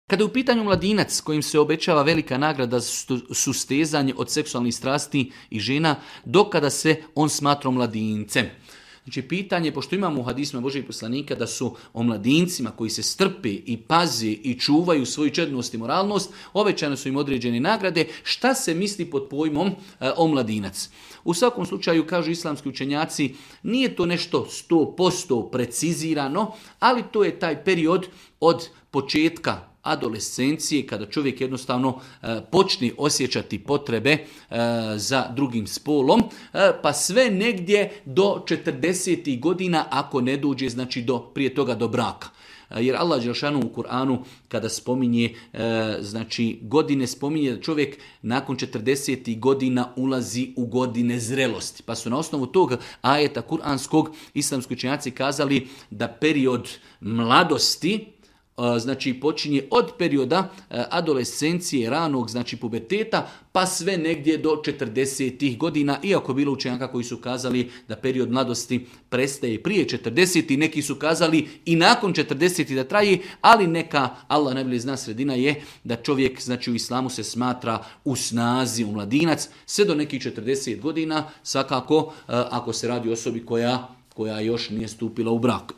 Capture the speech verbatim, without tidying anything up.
Kada je u pitanju mladinac kojim se obećava velika nagrada za sustezanje od seksualnih strasti i žena, dokada se on smatra mladincem. Znači pitanje, pošto imamo u hadisma Božijeg poslanika da su o mladincima koji se strpe i paze i čuvaju svoju čednost i moralnost, obećane su im određene nagrade, šta se misli pod pojmom e, o mladinac? U svakom slučaju, kažu islamski učenjaci, nije to nešto sto posto precizirano, ali to je taj period od početka adolescencije, kada čovjek jednostavno e, počne osjećati potrebe e, za drugim spolom, e, pa sve negdje do četrdesetih godina, ako ne dođe, znači do, prije toga do braka. E, jer Allah dželešanu u Kur'anu kada spominje e, znači godine, spominje da čovjek nakon četrdesetih godina ulazi u godine zrelosti. Pa su na osnovu tog ajeta kuranskog islamski učenjaci kazali da period mladosti, znači počinje od perioda adolescencije, ranog, znači puberteta, pa sve negdje do četrdesetih godina, iako bilo učenjaka koji su kazali da period mladosti prestaje prije četrdesetih, neki su kazali i nakon četrdesetih da traje, ali neka, Allah najbolje zna, sredina je da čovjek, znači u islamu se smatra u snazi, u mladinac, sve do nekih četrdeset godina, svakako ako se radi o osobi koja, koja još nije stupila u brak.